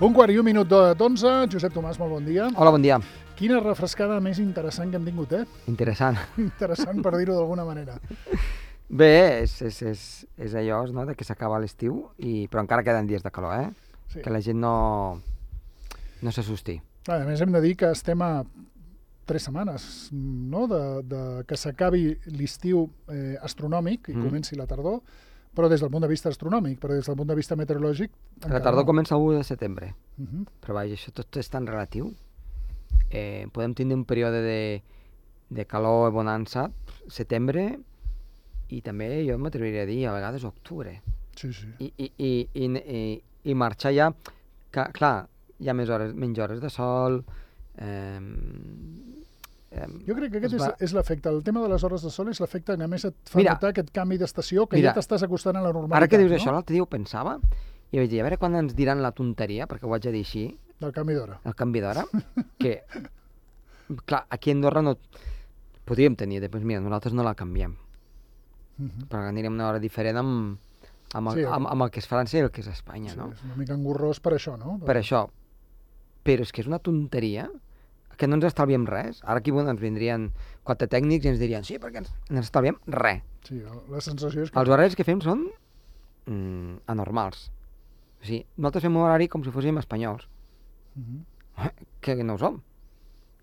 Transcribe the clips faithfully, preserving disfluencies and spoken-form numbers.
Un quart i un minut d'onze. Josep Tomàs, molt bon dia. Hola, bon dia. Quina refrescada més interessant que hem tingut, eh? Interessant. Interessant, per dir-ho d'alguna manera. Bé, és, és, és, és allò, no?, de que s'acaba l'estiu, i però encara queden dies de calor, eh? Sí. Que la gent no, no s'assusti. A més, hem de dir que estem a tres setmanes, no?, de, de que s'acabi l'estiu eh, astronòmic i Mm. comenci la tardor, però des del punt de vista astronòmic, però des del punt de vista meteorològic... La tardor no. Comença l'u de setembre, Uh -huh. però vaja, això tot és tan relatiu. Eh, podem tindre un període de, de calor i bonança, setembre, i també jo m'atreviria a dir, a vegades octubre. Sí, sí. I, i, i, i, i, i marxar ja, que, clar, hi ha més hores, menys hores de sol. Eh, eh, Jo crec que aquest va... és, és l'efecte. El tema de les hores de sol és l'efecte que a més et fa Mira, notar aquest canvi d'estació, que mira, ja t'estàs acostant a la normalitat. Ara que dius no? això, l'altre dia ho pensava, i vaig dir, a veure quan ens diran la tonteria, perquè ho haig de dir així, Del canvi d'hora. el canvi d'hora, que, clar, aquí a Andorra no podríem tenir, doncs mira, nosaltres no la canviem, Uh -huh. però anirem una hora diferent amb, amb, el, Sí, amb, amb el que és França i el que és Espanya, Sí, no? és una mica engorrós per això, no? Per això. Però és que és una tonteria que no ens estalviem res. Ara aquí bueno, ens vindrien quatre tècnics i ens dirien, sí, perquè ens, ens estalviem res. Sí, la sensació és que... Els horaris que fem són mm, anormals. O sigui, nosaltres fem un horari com si fóssim espanyols, Uh -huh. que no ho som.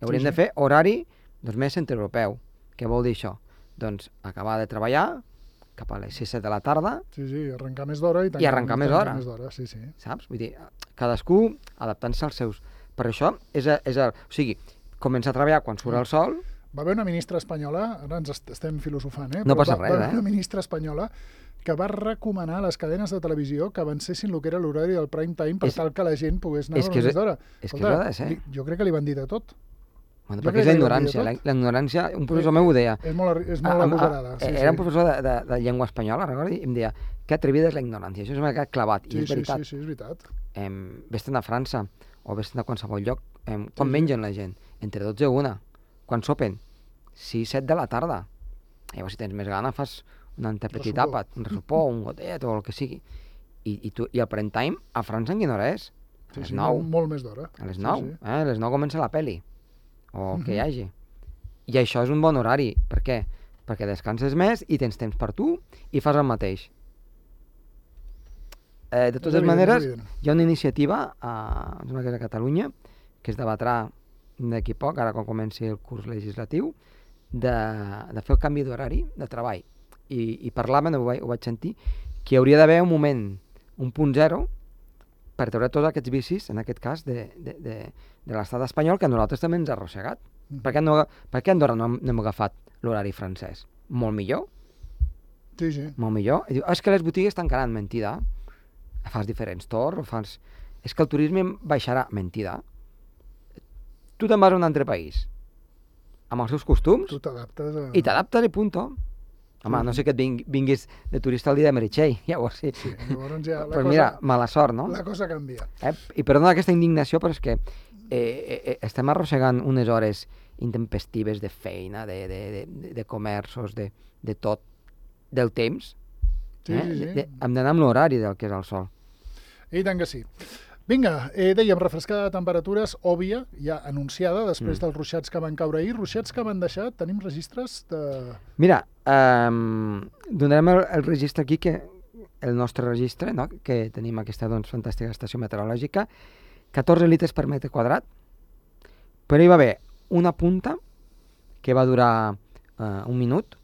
Hauríem Sí, de sí. fer horari doncs, més centreeuropeu. Què vol dir això? Doncs acabar de treballar cap a les sis set de la tarda, Sí, sí, arrencar més d'hora i, I arrencar més tancar d'hora. més d'hora, sí, sí. saps? Vull dir, cadascú adaptant-se als seus... Per això és, a, és a, o sigui, començar a treballar quan surt el sol. Va haver una ministra espanyola, ara ens est estem filosofant, eh? No Però passa va, res, va haver eh? una ministra espanyola que va recomanar a les cadenes de televisió que avancessin el que era l'horari del prime time per És- tal que la gent pogués anar és a que és- més d'hora. és que és ha de ser. li- Jo crec que li van dir de tot. Bueno, Jo perquè crec és la que li van dir ignorància. de La, tot. la ignorància, un professor meu ho deia. És molt, arri- és molt Ah, ah, agosarada. Sí, era sí. un professor de, de, de llengua espanyola, recordo, i em deia que atrevida és la ignorància. Això m'ha quedat clavat. I Sí, és sí, veritat. sí, sí, és veritat. Em, vés-te'n a França o vés-te'n a qualsevol lloc. Em, quan sí. mengen la gent? Entre dotze i una. Quan sopen? sis set de la tarda. Llavors, si tens més gana, fas un antepetit Ressupó. àpat, un ressupó, un gotet o el que sigui. I, i, tu, i el prime time a França en quina hora és? A Sí, les sí, nou. molt, molt més d'hora. A les Sí, nou. sí. Eh? A les nou comença la peli. O que hi Mhm. hagi. I això és un bon horari. Per què? Perquè descanses més i tens temps per tu i fas el mateix. Eh, de És totes evident, maneres, és evident. hi ha una iniciativa, a, em sembla que és a Catalunya, que es debatrà d'aquí a poc, ara quan comenci el curs legislatiu, de, de fer el canvi d'horari de treball. I, i parlaven, ho vaig, ho vaig sentir, que hi hauria d'haver un moment, un punt zero, per treure tots aquests vicis, en aquest cas, de, de, de, de l'estat espanyol, que a nosaltres també ens ha arrossegat. Mhm. Per què, no, per què a Andorra no, hem- no hem agafat l'horari francès? Molt millor, Sí, sí. molt millor. I diu, ah, és que les botigues tancaran, mentida. Fas diferents torns, fas... És que el turisme baixarà, mentida. Tu te'n vas a un altre país, amb els seus costums, Tu t'adaptes a... i t'adaptes i punto. Home, no sé que et ving, vinguis de turista el dia de Meritxell, llavors sí. Sí, llavors ja la, Però cosa, mira, mala sort, no? la cosa canvia. Eh? I perdona aquesta indignació, però és que eh, eh, estem arrossegant unes hores intempestives de feina, de, de, de, de, de comerços, de, de tot, del temps. Sí, eh? sí, sí. De, de, hem d'anar amb l'horari del que és el sol. I tant que sí. Vinga, eh, dèiem, refrescada de temperatures, òbvia, ja anunciada, després Mm. dels ruixats que van caure ahir. Ruixats que van deixar, tenim registres de... Mira, eh, donarem el, el registre aquí, que el nostre registre, no? Que tenim aquesta doncs, fantàstica estació meteorològica, catorze litres per metre quadrat, però hi va haver una punta que va durar eh, un minut,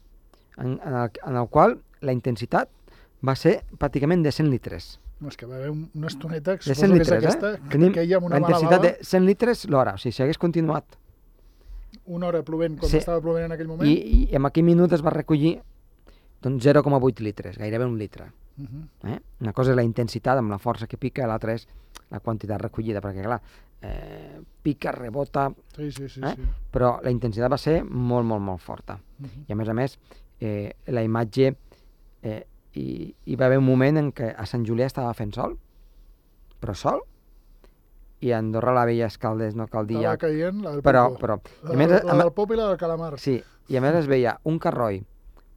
en, en, el, en el qual la intensitat va ser pràcticament de cent litres. No, és que va haver un- una estoneta, que De suposo cent que és litres, aquesta, eh? que Tenim queia amb una la mala intensitat bava, de cent litres l'hora. O sigui, si hagués continuat una hora plovent com Sí. estava plovent en aquell moment. i, i en aquell minut es va recollir doncs zero coma vuit litres, gairebé un litre. Uh -huh. Eh? Una cosa és la intensitat amb la força que pica, l'altra és la quantitat recollida, perquè clar, eh, pica, rebota, Sí, sí, sí. eh? sí. però la intensitat va ser molt, molt, molt forta. Uh -huh. I a més a més, eh, la imatge, eh, hi, hi va haver un moment en què a Sant Julià estava fent sol, però sol, i a Andorra la veia escaldes, no cal dir Estava ja, caient la del però, Popo. però, i La, a més, la, a, del Popo i la del Calamar. sí, i a més es veia un carroi,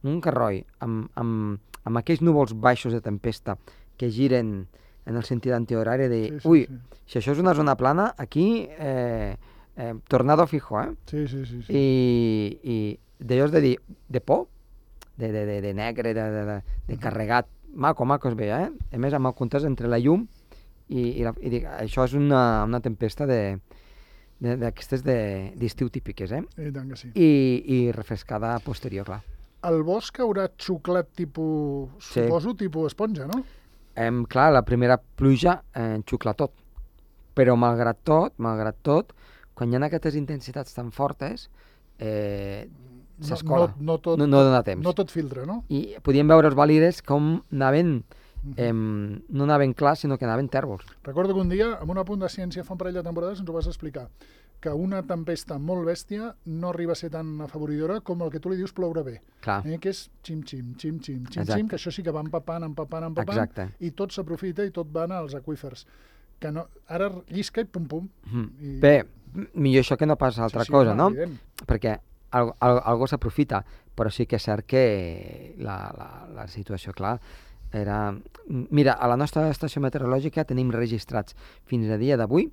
un carroi amb, amb, amb aquells núvols baixos de tempesta que giren en el sentit antihorari, de dir, Sí, sí, ui, sí. si això és una zona plana, aquí eh, eh, tornado fijo, eh? Sí, sí, sí. sí. I, i d'allò és de dir, de por, de, de, de, de negre, de, de, de, de Mhm. carregat, maco, maco es veia, eh? A més, amb el contrast entre la llum i, i, la, i dic, això és una, una tempesta de de- d'aquestes de- d'estiu típiques, eh? I tant que sí. I, i refrescada posterior, clar. El bosc haurà xuclat tipus, Sí. suposo, tipus esponja, no? Em, clar, la primera pluja eh, enxucla tot, però malgrat tot, malgrat tot, quan hi ha aquestes intensitats tan fortes, eh, s'escola. No, no, tot, No- no dona temps. No tot filtra, no? I podíem veure els valires com anaven, Mhm. em, no anaven clars, sinó que anaven tèrbols. Recordo que un dia, en un apunt de ciència fa un parell de temporades, ens ho vas explicar, que una tempesta molt bèstia no arriba a ser tan afavoridora com el que tu li dius ploure bé, Clar, eh? que és xim-xim, xim-xim, Exacte. xim-xim, que això sí que va empapant, empapant, empapant, exacte. i tot s'aprofita i tot van als aqüífers. Que no, ara llisca i pum-pum. Mhm. I... Bé, m- millor això que no pas altra Sí, sí, cosa, home, no? evident. Perquè al, al, algú s'aprofita, però sí que és cert que la, la, la situació, clar, era... Mira, a la nostra estació meteorològica tenim registrats fins a dia d'avui,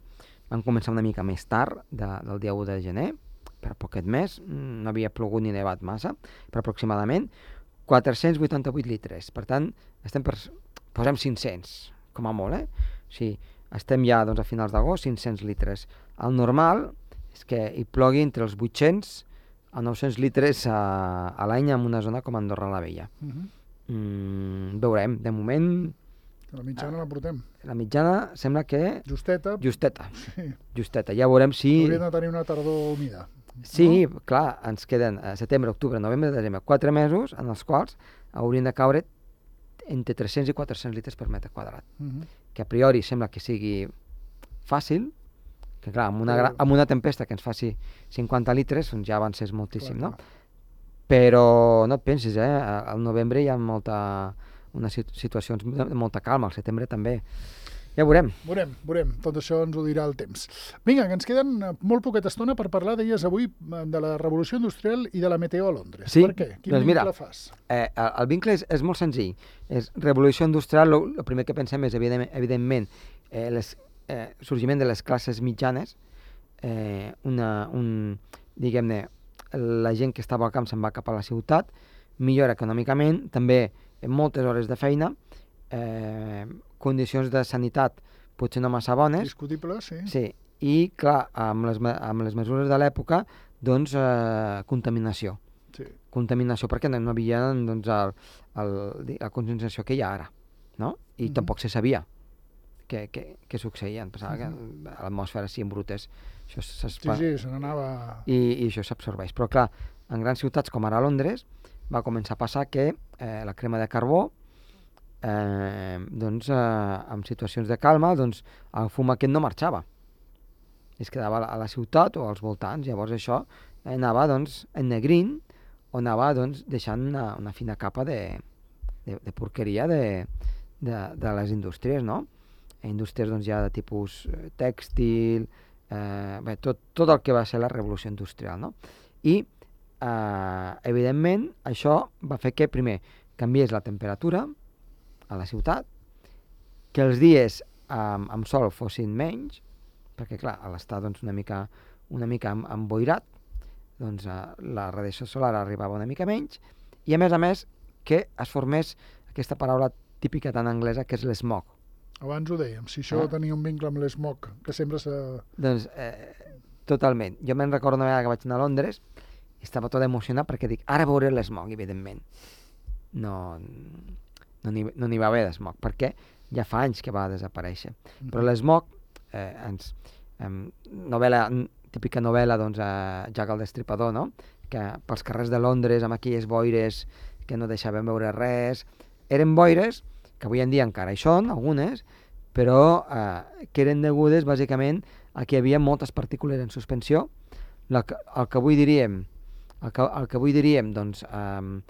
van començar una mica més tard, de, del dia u de gener, per poquet més, mm, no havia plogut ni nevat massa, però aproximadament quatre-cents vuitanta-vuit litres. Per tant, estem per... posem cinc-cents, com a molt, eh? O sigui, estem ja doncs, a finals d'agost, cinc-cents litres. El normal és que hi plogui entre els vuit-cents a nou-cents litres a, a l'any en una zona com Andorra la Vella. Mhm. Mm, veurem, de moment La mitjana la portem. la mitjana sembla que Justeta, justeta, sí. justeta. Ja veurem si... Hauríem de tenir una tardor humida. Sí, clar, ens queden a setembre, octubre, novembre, desembre, quatre mesos en els quals haurien de caure entre tres-cents i quatre-cents litres per metre quadrat, Mhm. que a priori sembla que sigui fàcil, que clar, amb una, Però- gra- amb una tempesta que ens faci cinquanta litres, doncs ja avances moltíssim, Clar, no? clar. Però no et pensis, eh? Al novembre hi ha molta, unes sit- situacions de de molta calma, al setembre també. Ja veurem. Veurem, veurem. Tot això ens ho dirà el temps. Vinga, que ens queden eh, molt poqueta estona per parlar, deies avui, eh, de la revolució industrial i de la meteo a Londres. Sí, Per què? Quin doncs mira, vincle fas? Eh, el, el vincle és, és molt senzill. És revolució industrial, el primer que pensem és, evident, evidentment, eh, les, eh, sorgiment de les classes mitjanes, eh, una, un, diguem-ne, la gent que estava al camp se'n va cap a la ciutat, millora econòmicament, també moltes hores de feina, eh, condicions de sanitat potser no massa bones, Discutible, sí. sí, i clar, amb les, me- amb les mesures de l'època, doncs eh, contaminació. sí. Contaminació perquè no, no havia doncs, el, el, di- la concentració que hi ha ara, no? I Mhm. tampoc se sabia què, què, què succeïa. Em pensava Mhm. que a l'atmosfera sí, en brutes, això Sí, s'espa... sí, se n'anava... I, i això s'absorbeix. Però clar, en grans ciutats com ara Londres va començar a passar que eh, la crema de carbó, eh, doncs, eh, en situacions de calma, doncs, el fum aquest no marxava. Es quedava a la, a la ciutat o als voltants. Llavors això anava doncs, ennegrint o anava doncs, deixant una, una fina capa de, de, de porqueria de, de, de les indústries, no? Indústries doncs, ja de tipus eh, tèxtil, eh, bé, tot, tot el que va ser la revolució industrial, no? I, eh, evidentment, això va fer que, primer, canviés la temperatura a la ciutat, que els dies amb, amb sol fossin menys, perquè, clar, a l'estar doncs, una mica, una mica em- emboirat, doncs eh, la radiació solar arribava una mica menys, i a més a més que es formés aquesta paraula típica tan anglesa que és l'smog. Abans ho dèiem, si això Ah. tenia un vincle amb l'smog, que sempre s'ha... Doncs, eh, totalment. Jo me'n recordo una vegada que vaig anar a Londres i estava tot emocionat perquè dic, ara veuré l'smog, evidentment. No, no n'hi no n'hi va haver d'smog, perquè ja fa anys que va desaparèixer. Però l'smog, eh, ens, em, novel·la, típica novel·la, doncs, eh, Jack el Destripador, no? Que pels carrers de Londres, amb aquelles boires que no deixaven veure res, eren boires que avui en dia encara hi són, algunes, però eh, que eren degudes bàsicament a que hi havia moltes partícules en suspensió, la que, el que avui diríem, el que, el que avui diríem, doncs, eh,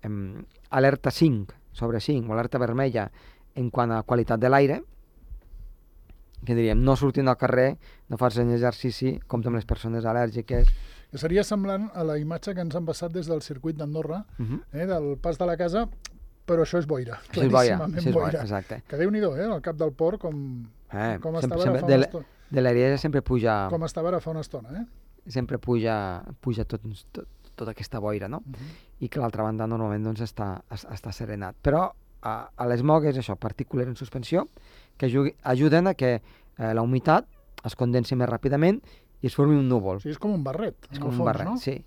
eh, alerta cinc sobre cinc o alerta vermella en quant a qualitat de l'aire, que diríem, no sortint al carrer, no facin exercici, compte amb les persones al·lèrgiques. Que seria semblant a la imatge que ens han passat des del circuit d'Andorra, Uh -huh. eh, del pas de la casa, però això és boira, Això és boira, claríssimament això és boira, boira. exacte. Que Déu-n'hi-do, eh, al cap del port, com, Eh, com sempre, estava ara sempre, fa de, una la- estona. de l'Ariesa sempre puja, Com estava ara fa una estona, eh? sempre puja, puja tot, tot, tota aquesta boira, no? Uh -huh. I que l'altra banda normalment doncs, està, es- està serenat. Però a, a l'esmog és això, partícules en suspensió, que ajugui, ajuden a que eh, la humitat es condensi més ràpidament i es formi un núvol. O sigui, és com un barret, és en com el un fons, barret, no? sí.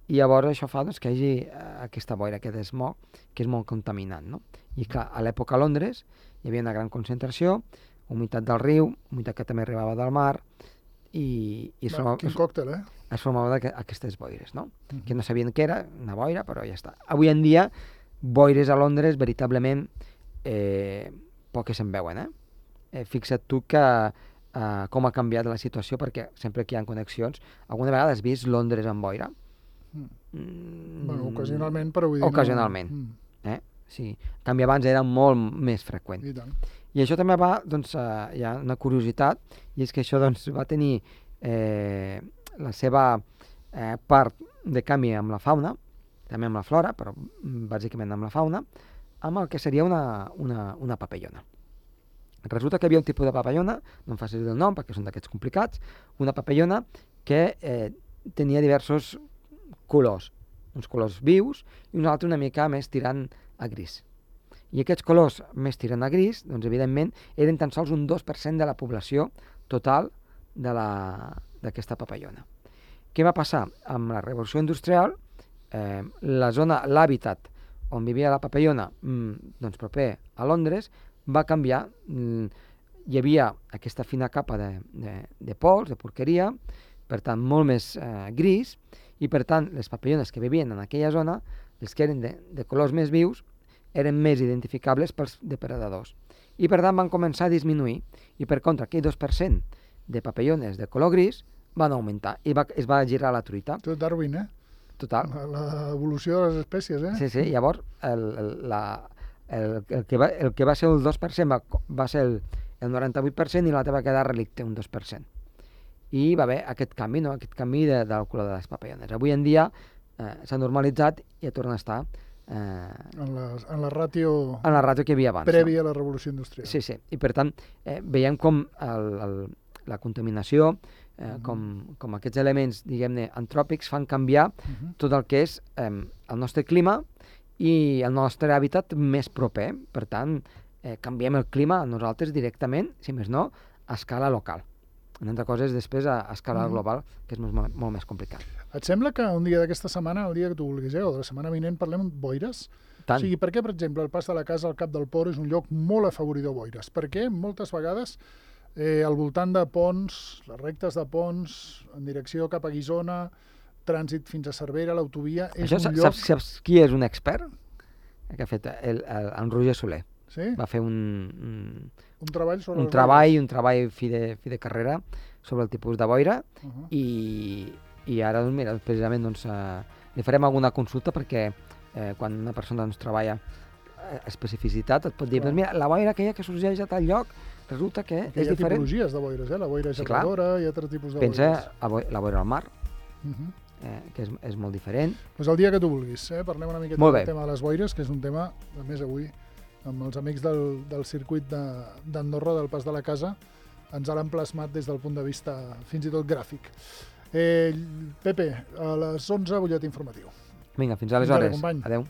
I llavors això fa doncs, que hi hagi eh, aquesta boira, aquest smog, que és molt contaminant, no? I clar, a l'època a Londres hi havia una gran concentració, humitat del riu, humitat que també arribava del mar, i, i es, Va, formava, quin es, còctel, eh? es formava d'aqu- aquestes boires, no? Uh -huh. Que no sabien què era, una boira, però ja està. Avui en dia, boires a Londres, veritablement, eh, poques se'n veuen, eh? eh? Fixa't tu que eh, com ha canviat la situació, perquè sempre que hi ha connexions, alguna vegada has vist Londres amb boira? Mm. Bueno, ocasionalment, però vull dir... Ocasionalment. No... Mm. Eh? Sí. En canvi, abans era molt més freqüent. I tant. I això també va, doncs, eh, hi ha una curiositat, i és que això doncs, va tenir eh, la seva eh, part de canvi amb la fauna, també amb la flora, però mm, bàsicament amb la fauna, amb el que seria una, una, una papallona. Resulta que hi havia un tipus de papallona, no em facis el nom perquè són d'aquests complicats, una papallona que eh, tenia diversos colors, uns colors vius i un altre una mica més tirant a gris. I aquests colors més tirant a gris, doncs evidentment, eren tan sols un dos per cent de la població total de la- d'aquesta papallona. Què va passar? Amb la revolució industrial, eh, la zona, l'hàbitat on vivia la papallona, mm, doncs proper a Londres, va canviar. Mm, hi havia aquesta fina capa de, de, de pols, de porqueria, per tant, molt més eh, gris, i per tant, les papallones que vivien en aquella zona, els que eren de, de colors més vius, eren més identificables pels depredadors. I per tant van començar a disminuir, i per contra aquell dos per cent de papallones de color gris van augmentar, i va, es va girar la truita. Tot Darwin, eh? Total. L'evolució de les espècies, eh? Sí, sí, llavors el, el, la, el, el, que va, el que va ser el dos per cent va, va ser el, el noranta-vuit per cent i l'altre va quedar relicte, un dos per cent. I va haver aquest canvi, no? Aquest canvi de, del color de les papallones. Avui en dia eh, s'ha normalitzat i ja torna a estar eh, En, la, en la ràtio en la ràtio que hi havia abans. prèvia a la revolució industrial. No? Sí, sí. I per tant, eh, veiem com el, el, la contaminació, eh, uh -huh. com, com aquests elements, diguem-ne, antròpics fan canviar uh -huh. tot el que és eh, el nostre clima i el nostre hàbitat més proper. Per tant, eh, canviem el clima nosaltres directament, si més no, a escala local. En altres coses, després, a, a escala uh -huh. global, que és molt, molt, molt més complicat. Et sembla que un dia d'aquesta setmana, el dia que tu vulguis, eh, o de la setmana vinent, parlem de boires? Tant. O sigui, per què, per exemple, el Pas de la Casa al Cap del Port és un lloc molt afavoridor a boires? Perquè moltes vegades eh, al voltant de ponts, les rectes de ponts, en direcció cap a Guissona, trànsit fins a Cervera, l'autovia, és Això, un saps, lloc... saps qui és un expert? Que ha fet el, el, en Roger Soler. Sí? Va fer un, un, Un treball sobre un les treball, boires. un treball fi de, fi de carrera sobre el tipus de boira Uh -huh. i, i ara, doncs, mira, precisament doncs, eh, li farem alguna consulta perquè eh, quan una persona doncs, treballa eh, especificitat et pot dir, Clar. doncs, mira, la boira aquella que sorgeix a tal lloc resulta que Perquè és hi ha diferent. tipologies de boires, eh? La boira Sí, clar. geladora, hi ha altres tipus de Pensa boires. a boi- la boira al mar, Uh -huh. eh, que és, és molt diferent. Pues el dia que tu vulguis, eh? Parlem una miqueta Molt del bé. tema de les boires, que és un tema, a més avui, amb els amics del, del circuit de- d'Andorra, del Pas de la Casa, ens l'han plasmat des del punt de vista fins i tot gràfic. Eh, Pepe, a les onze, butllet informatiu. Vinga, fins Fins ara, aleshores. company. Adéu.